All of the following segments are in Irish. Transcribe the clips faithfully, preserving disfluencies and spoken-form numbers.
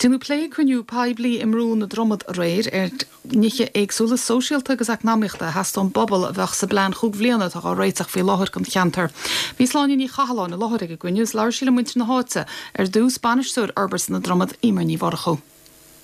Déanadh plé ag cruinniú poiblí i mBrú na Dromad aréir ar nithe éagsúla sóisialta agus eacnamaíochta a theastaigh ón bpobal a bheadh sa bplean chúig bliana atá á réiteach faoi láthair don cheantar. Bhí Sláine Ní Chathalláin i láthair ag an gcruinniú is labhair sí le muintir na háite ar dtús bainisteoir Fhorbairt na Dromad Emer Ní Mhurchú.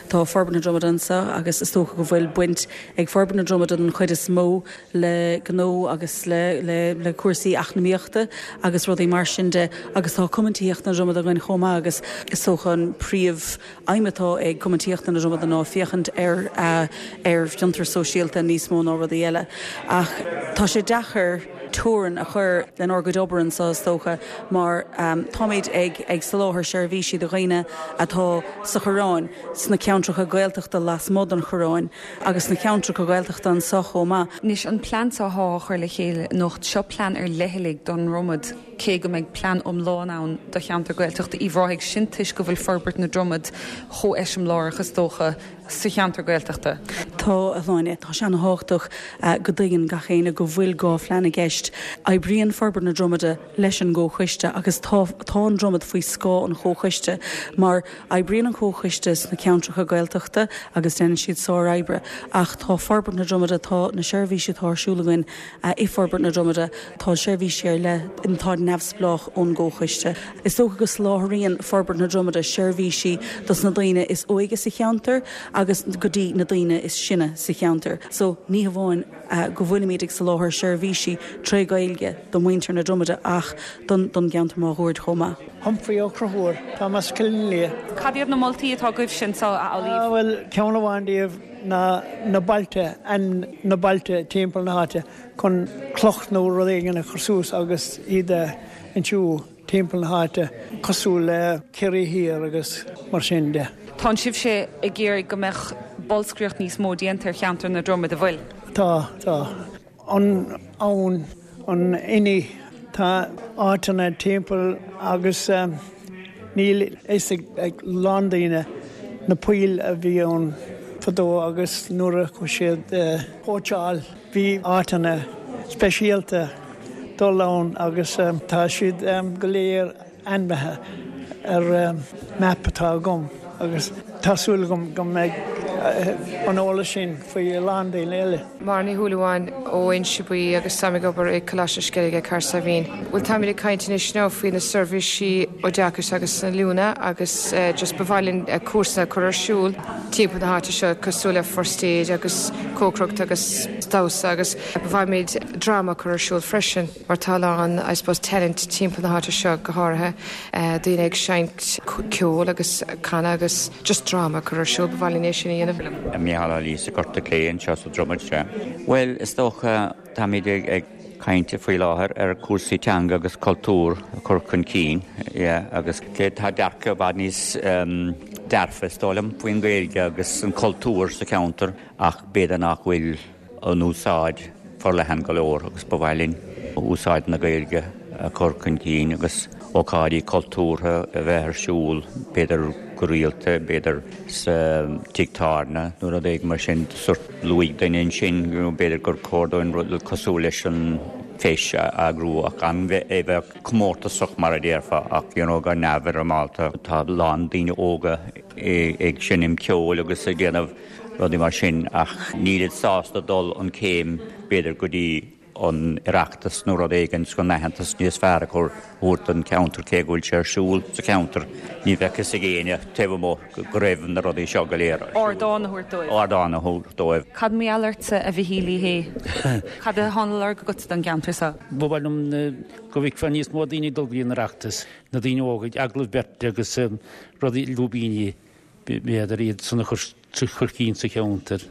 Tá Forbairt na Dromad anseo agus is dócha go bhfuil baint ag Forbairt na Dromad an chuid is mó le gnó agus le, le, le cúrsaí eacnamaíochta agus rudaí mar sin de agus tá Cumann Tithíochta na Dromad againn chomh maith agus is dócha an príomhaidhm atá ag Cumann Tithíochta na Dromad ná féachaint ar uh, ar fhiontar sóisialta níos mó ná rudaí eile. Ach tá sé deacair teorainn a chur lenár gcuid oibre anseo is dócha mar um, táimid ag ag soláthar seirbhísí do dhaoine atá sa Choireán sna ceantracha Gaeltachta lasmuigh den Choireán agus na ceantracha Gaeltachta anseo chomh maith. Anois an plean seo á chur le chéile anocht seo plean ar leithligh don Dromad cé go mbeidh plean iomlán ann do cheantar Gaeltachta Uíbh Ráthaigh sin toisc go bhfuil Forbairt na Dromad chomh eiseamláireach is dócha sa cheantar Gaeltachta. Tá a Shláine tá sé an-tábhachtach uh, go dtuigeann gach éinne go bhfuil dhá phlean i gceist. Oibríonn Forbairt na Dromada leis an gcomhchoiste agus tá tá an Dromad faoi scáth an chomhchoiste mar oibríonn an comhchoiste sna ceantracha Gaeltachta agus déanann siad sárobair ach tá Forbairt na Dromada tá na seirbhísí atá ar siúl againn uh, i Forbairt na Dromada tá seirbhísí ar leith atá neamhspleách ón gcomhchoiste. Is dócha go soláthraíonn Forbairt na Dromada seirbhísí dos na daoine is óige sa cheantar agus go dtí na daoine is sine sa cheantar. So ní hamháin uh, go bhfuilimid ag soláthar seirbhísí trí Ghaeilge do mhuintir na Dromada ach don don gceantar máguaird chomh maith. Humphrey Ó Conchúir Tá mas cill le. Cad iad na moltaí atá agaibh sin so a Ah, Well ceann amháin díobh na na bailte an na bailte timpeall na háite chun cloch nó rud éigin a chur suas agus iad insiú timpeall na háite cosúil le Ciarraí Thiar agus mar sin de. Tá sibhse ag iarraidh go mbeadh bolscaireacht níos mó déanta ar cheantar na Dromad an bhfuil. Tá tá an ann an inní tá áiteanna timpeall agus um, níl fhios ag, ag lán daoine na poill a bhí ann fadó agus nuair a chuaigh siad uh, cóitseáil bhí áiteanna speisialta dul ann agus um, tá siad um, go léir ainmnithe ar um, map atá agam agus tá súil agam go mbeidh uh, an eolas sin faoi lán daoine eile. Mar ní thuúháin ó Insebuí agus tá ag obair ag Coláiste Sceilge Cahersiveen. Bhuel táimid ag caint anois now faoi na seirbhísí oideachais agus na oiliúna agus uh, just ba mhaith linn uh, cúrsa chur ar siúl timpeall na háite seo cosúil le first aid agus cócaireacht agus damhsa agus ba mhaith linn dráma chur ar siúl freisin mar tá an I suppose talent timpeall na háite seo go háirithe uh, daoine ag seinnt ceol agus canadh agus just dráma chur ar siúl ba mhaith linn é sin a dhéanamh. Mícheál Lí Gorta Cléin seo sa Dromad sé. Well is dócha táimid ag ag caint faoi láthair ar cúrsaí teanga agus cultúr a chur chun cinn agus tá dearcadh i bhfad níos um, dearfa is dóigh liom faoin Ghaeilge agus an cultúr sa cheantar ach b'fhéidir nach bhfuil an úsáid forleathan go leor agus ba mhaith linn úsáid na Gaeilge a chur chun cinn agus ócáidí cultúrtha a bheith ar siúl b'fhéidir go rialta b'fhéidir sa tigh tábhairne nó rud éigin mar sin sort luaigh duine ansin b'fhéidir gur chóir dúinn rud cosúil leis an feis a eagrú ach an bheith é bheith comórtasach mar a déarfá ach you know, go neamhfhoirmeálta tá lán daoine óga ag seinm ceoil agus ag déanamh rudaí mar sin ach níl sásta dul an céim b'fhéidir go dtí an Oireachtas nó rud éigin chun aitheantas níos fearr a chur ar an cheantar cé go bhfuil sé ar siúl sa cheantar ní bheadh fhios ag éinne taobh amuigh go raibh na rudaí seo go léir. Ardán a thabhairt dóibh. Ardán a thabhairt dóibh. Cad mar gheall ortsa a Mhichíl Uí Shé. Cad atá á lorg agat don gceantar seo. Ba mhaith liom go bhfeicfeá níos mó daoine dul go dtí an Oireachtas na daoine óga agallamh beirte agus rudaí lúbíní b'fhéidir iad san a chur chur cinn sa cheantar.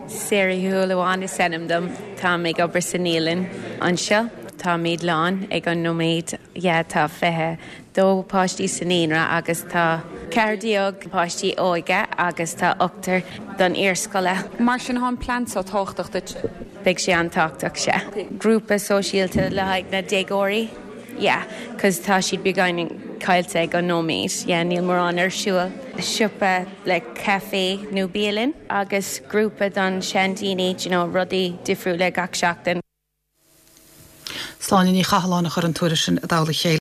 Sarah Thuúlaháin is ainm dom tá ag obair sa naíolann anseo táimid lán ag an nóiméad yeah, tá fiche dó páistí sa naíonra agus tá ceathair déag páistí óige agus tá ochtar don iarscoile. Mar sin an plean seo tábhachtach duit. Beidh sé an-tábhachtach sé. Grúpa sóisialta le haghaidh na déagóirí. Yeah, cos tá siad beagáinín caillte ag an nóiméad, yeah, níl mórán ar siúl. Siopa le café nó bialann agus grúpa don seandaoine you know, rudaí difriúla gach seachtain. Sláine Ní Chathalláin a chur an tuairisc sin i dtoll a chéile.